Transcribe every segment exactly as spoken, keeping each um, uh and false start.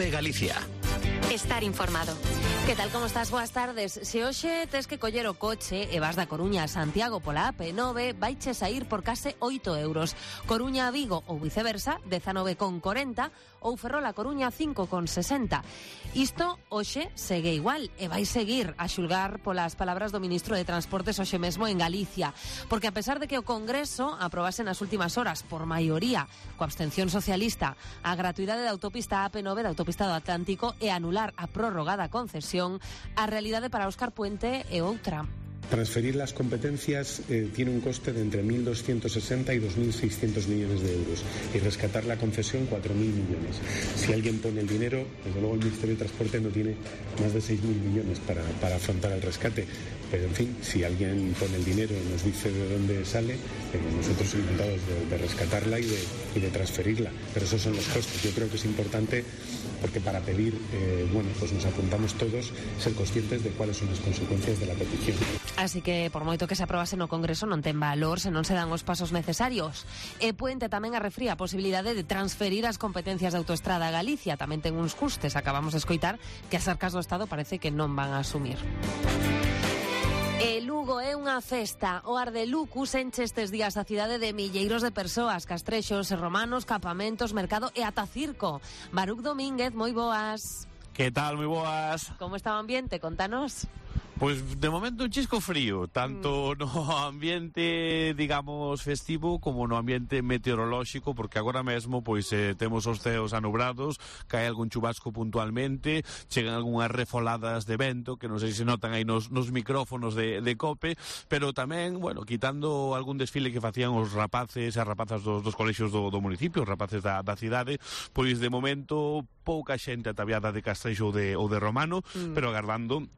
COPE Galicia. Estar informado. Que tal, como estás? Boas tardes. Se hoxe tes que coller o coche e vas da Coruña a Santiago pola A P nove, vaiche saír por case oito euros. Coruña a Vigo ou viceversa, dezanove con corenta, ou Ferrol a Coruña, cinco con sesenta. Isto hoxe segue igual e vai seguir a xulgar polas palabras do ministro de Transportes hoxe mesmo en Galicia, porque a pesar de que o Congreso aprobase nas últimas horas por maioría, coa abstención socialista, a gratuidade da autopista A P nove da autopista do Atlántico e anular a prórroga da concesión, a realidade para Óscar Puente é outra. Transferir las competencias eh, tiene un coste de entre mil doscientos sesenta y dos mil seiscientos millones de euros y rescatar la concesión cuatro mil millones. Si alguien pone el dinero, desde luego el Ministerio de Transporte no tiene más de seis mil millones para, para afrontar el rescate. Pero en fin, si alguien pone el dinero y nos dice de dónde sale, eh, nosotros encantados de, de rescatarla y de, y de transferirla. Pero esos son los costes. Yo creo que es importante, porque para pedir, eh, bueno, pues nos apuntamos todos, ser conscientes de cuáles son las consecuencias de la petición. Así que, por moito que se aprobase no Congreso, non ten valor se non se dan os pasos necesarios. E Puente tamén arrefría a posibilidade de transferir as competencias de Autoestrada a Galicia. Tamén ten uns custes. Acabamos de escoitar que as arcas do Estado parece que non van a asumir. E Lugo é unha festa. O Ardelucus enche estes días a cidade de milleiros de persoas, castrexos e romanos, campamentos, mercado e ata circo. Baruc Domínguez, moi boas. Que tal, moi boas? Como está o ambiente? Contanos. Pois de momento un chisco frío, tanto no ambiente, digamos, festivo como no ambiente meteorolóxico, porque agora mesmo pois eh, temos os ceos anubrados, cae algún chubasco puntualmente, chegan algunhas refoladas de vento que non sei se notan aí nos, nos micrófonos de, de COPE, pero tamén, bueno, quitando algún desfile que facían os rapaces e as rapazas dos, dos colexios do, do municipio, os rapaces da, da cidade, pois de momento pouca xente ataviada de castrexo ou de, ou de romano, mm. pero agardando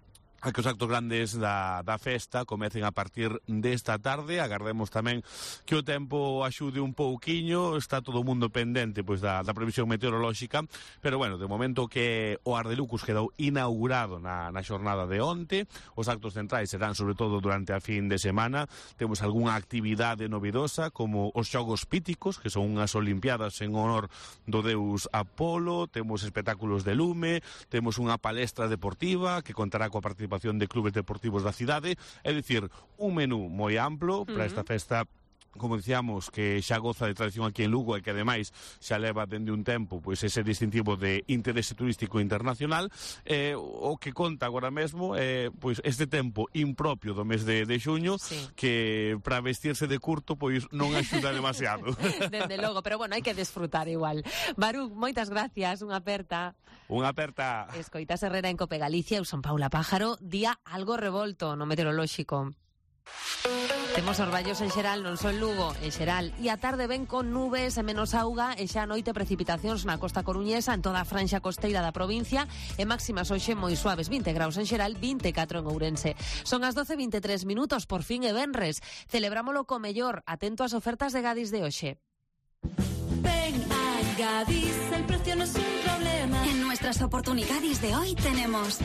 a que os actos grandes da, da festa comecen a partir desta tarde. Agardemos tamén que o tempo axude un pouquiño, está todo o mundo pendente pois da, da previsión meteorolóxica, pero bueno, de momento que o Ardelucus quedou inaugurado na, na xornada de onte, os actos centrais serán sobre todo durante a fin de semana. Temos algunha actividade novidosa como os xogos píticos, que son unhas olimpiadas en honor do deus Apolo, temos espectáculos de lume, temos unha palestra deportiva que contará coa participación de clubes deportivos da cidade, é dicir, un menú moi amplo para esta festa, como dicíamos, que xa goza de tradición aquí en Lugo e que ademais xa leva dende un tempo pois ese distintivo de interese turístico internacional, eh, o que conta agora mesmo eh, pois este tempo impropio do mes de, de xuño, sí, que para vestirse de curto pois non axuda demasiado. Dende logo, pero bueno, hai que desfrutar igual. Baruc, moitas gracias, unha aperta. Unha aperta. Escoitas Herrera en Cope Galicia, eu son Paula Pájaro, día algo revolto no meteorolóxico. Temos orballos en xeral, non só en Lugo, en xeral. E a tarde ven con nubes e menos auga e xa a noite precipitacións na costa coruñesa, en toda a franxa costeira da provincia, e máximas hoxe moi suaves, vinte graus en xeral, vinte e catro en Ourense. Son as doce e vinte e tres minutos, por fin e venres. Celebrámolo co mellor, atento ás ofertas de Gadis de hoxe. Ven a Gadis, el precio no es un problema. En nuestras oportunidades de hoy tenemos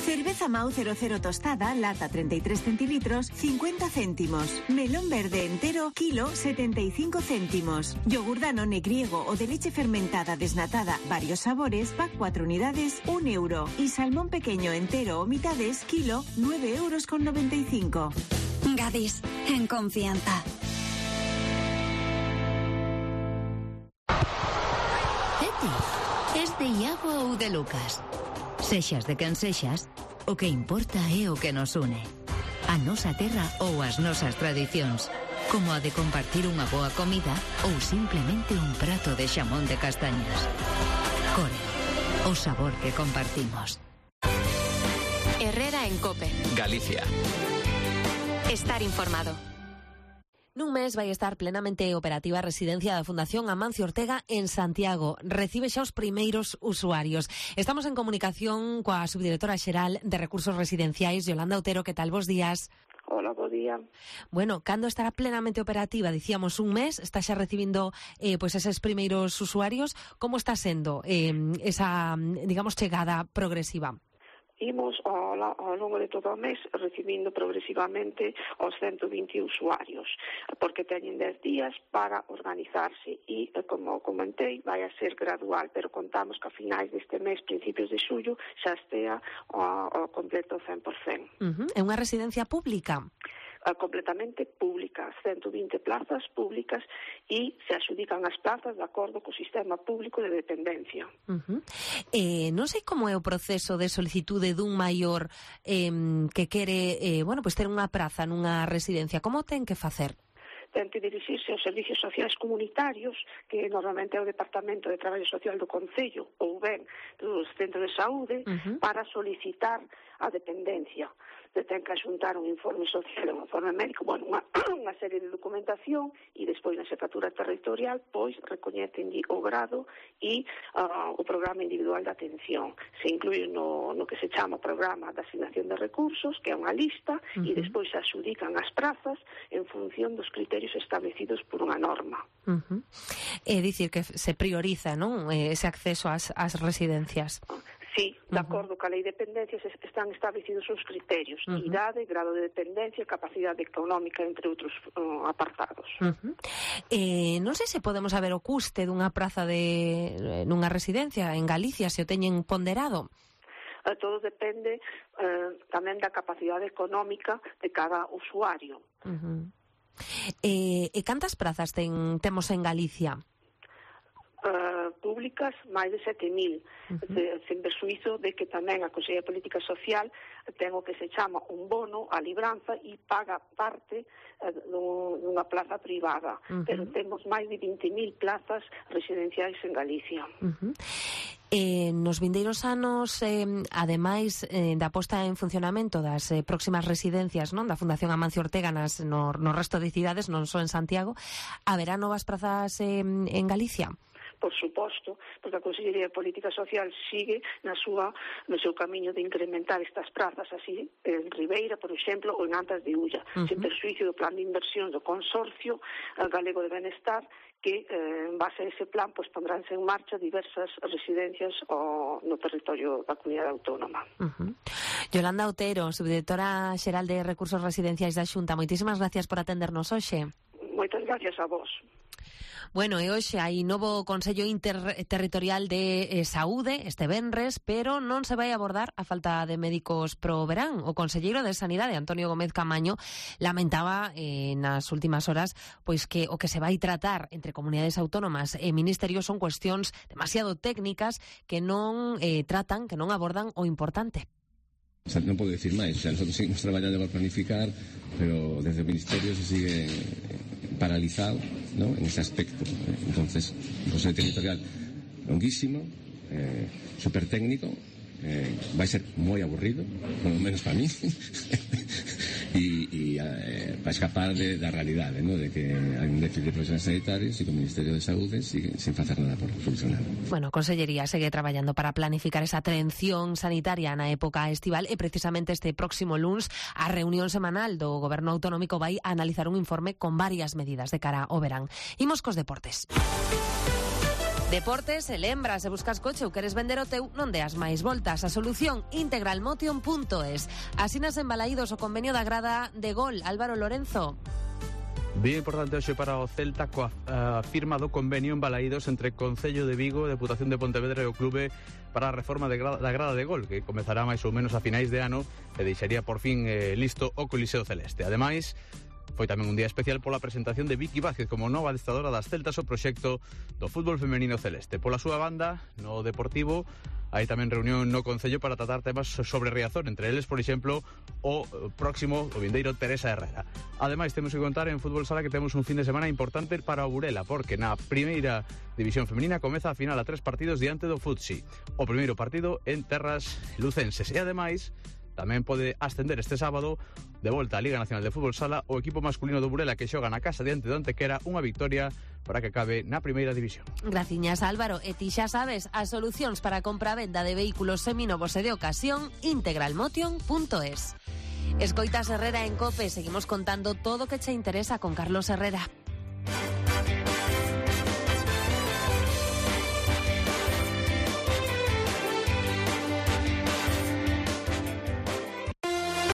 cerveza Mau cero cero tostada, lata treinta y tres centilitros, cincuenta céntimos. Melón verde entero, kilo, setenta y cinco céntimos. Yogur Danone griego o de leche fermentada desnatada, varios sabores, pack cuatro unidades, un euro. Y salmón pequeño entero o mitades, kilo, nueve euros con noventa y cinco. Gadis, en confianza. Es de Iago ou de Lucas. Sexas de quen sexas, o que importa é o que nos une. A nosa terra ou as nosas tradicións, como a de compartir unha boa comida ou simplemente un prato de xamón de castañas. Core, o sabor que compartimos. Herrera en Cope. Galicia. Estar informado. Nun mes vai estar plenamente operativa a residencia da Fundación Amancio Ortega en Santiago. Recibe xa os primeiros usuarios. Estamos en comunicación coa subdirectora xeral de Recursos Residenciais, Yolanda Otero. Que tal? Bos días. Hola, bo día. Bueno, cando estará plenamente operativa? Dicíamos un mes, está xa recibindo eh, pues eses primeiros usuarios. Como está sendo eh, esa, digamos, chegada progresiva? imos ao, ao longo de todo o mes recibindo progresivamente os ciento vinte usuarios, porque teñen dez días para organizarse e, como comentei, vai a ser gradual, pero contamos que a finais deste mes, principios de xullo, xa estea ao, ao completo cen por cento. Uh-huh. É unha residencia pública? Completamente pública, ciento vinte plazas públicas e se adxudican as plazas de acordo co sistema público de dependencia. Uh-huh. Eh, non sei como é o proceso de solicitude dun maior eh, que quere eh, bueno, pues ter unha praza nunha residencia. Como ten que facer? Ten que dirixirse aos servicios sociais comunitarios, que normalmente é o Departamento de Traballo Social do Concello ou ben dos centros de saúde, uh-huh. para solicitar a dependencia. Ten que axuntar un informe social, un informe médico, bueno, unha, unha serie de documentación e despois na xefatura territorial pois recoñecen o grado e uh, o programa individual de atención. Se inclui no, no que se chama programa de asignación de recursos, que é unha lista, uh-huh. e despois se adxudican as prazas en función dos criterios establecidos por unha norma. Uh-huh. É dicir que se prioriza, non, ese acceso ás, ás residencias. Sí, de acordo uh-huh. ca lei de dependencias están establecidos os criterios, uh-huh. idade, grado de dependencia, capacidade económica, entre outros uh, apartados. Uh-huh. Eh, non sei se podemos saber o custe dunha praza de nunha residencia en Galicia, se o teñen ponderado. Uh, todo depende uh, tamén da capacidade económica de cada usuario. Uh-huh. Eh, e cantas prazas ten, temos en Galicia? Uh, públicas, máis de sete mil, uh-huh. sen persuízo de que tamén a Consellería de Política Social ten o que se chama un bono a libranza e paga parte uh, dunha plaza privada, uh-huh. pero temos máis de vinte mil plazas residenciais en Galicia. Uh-huh. Eh, nos vindeiros anos, eh, ademais eh, da posta en funcionamento das eh, próximas residencias, non, da Fundación Amancio Ortega nas, no, no resto de cidades, non só en Santiago, haberá novas prazas eh, en Galicia? Por suposto, porque a Consellería de Política Social sigue na súa, no seu camiño de incrementar estas prazas, así en Ribeira, por exemplo, ou en Antas de Ulla, uh-huh. sen persuício do plan de inversión do Consorcio Galego de Benestar, que eh, en base a ese plan pues, pondránse en marcha diversas residencias o, no territorio da comunidade autónoma. Uh-huh. Yolanda Otero, subdirectora xeral de Recursos Residenciais da Xunta, moitísimas gracias por atendernos hoxe. Moitas gracias a vos. Bueno, e hoxe hai novo Consello Interterritorial de eh, Saúde este venres, pero non se vai abordar a falta de médicos pro verán. O conselleiro de Sanidade, Antonio Gómez Camaño, lamentaba eh, nas últimas horas pois que o que se vai tratar entre comunidades autónomas e ministerios son cuestións demasiado técnicas que non eh, tratan, que non abordan o importante. O sea, non podo decir máis, o sea, nosotros seguimos traballando para planificar, pero desde o Ministerio se sigue paralizado, ¿no?, en ese aspecto. Entonces, un Consello Territorial longuísimo, eh, super técnico, eh, vai ser moi aburrido, polo menos para mí, e eh, para escapar de, da realidade, ¿no?, de que hai un déficit de profesionales sanitarios e que o Ministerio de Saúde sigue sin facer nada por solucionar. Bueno, Consellería segue traballando para planificar esa atención sanitaria na época estival e precisamente este próximo luns a reunión semanal do Goberno Autonómico vai a analizar un informe con varias medidas de cara ao verán. Imos cos deportes. Deportes, e lembra, se buscas coche ou queres vender o teu, non deas máis voltas. A solución, integralmotion punto es. Asinas en Balaídos o convenio da grada de Gol. Álvaro Lorenzo. Bien importante hoxe para o Celta coa uh, firma do convenio en Balaídos entre Concello de Vigo, Deputación de Pontevedra e o clube para a reforma de grada, da grada de Gol, que comezará máis ou menos a finais de ano e deixaría por fin eh, listo o Coliseo Celeste. Ademais, foi tamén un día especial pola presentación de Vicky Vázquez como nova adestradora das Celtas o proxecto do fútbol femenino celeste. Pola súa banda, no Deportivo, hai tamén reunión no Concello para tratar temas sobre Riazor, entre eles, por exemplo, o próximo, o vindeiro Teresa Herrera. Ademais, temos que contar en Fútbol Sala que temos un fin de semana importante para o Burela, porque na primeira división femenina comeza a final a tres partidos diante do Futsi. O primeiro partido en terras lucenses. E ademais, tamén pode ascender este sábado de volta á Liga Nacional de Fútbol Sala o equipo masculino do Burela que xoga na casa diante do Antequera, unha victoria para que acabe na primeira división. Graciñas, Álvaro. E ti xa sabes, as solucións para a compra-venda de vehículos seminovos e de ocasión, integralmotion punto es. Escoitas Herrera en COPE, seguimos contando todo o que che interesa con Carlos Herrera.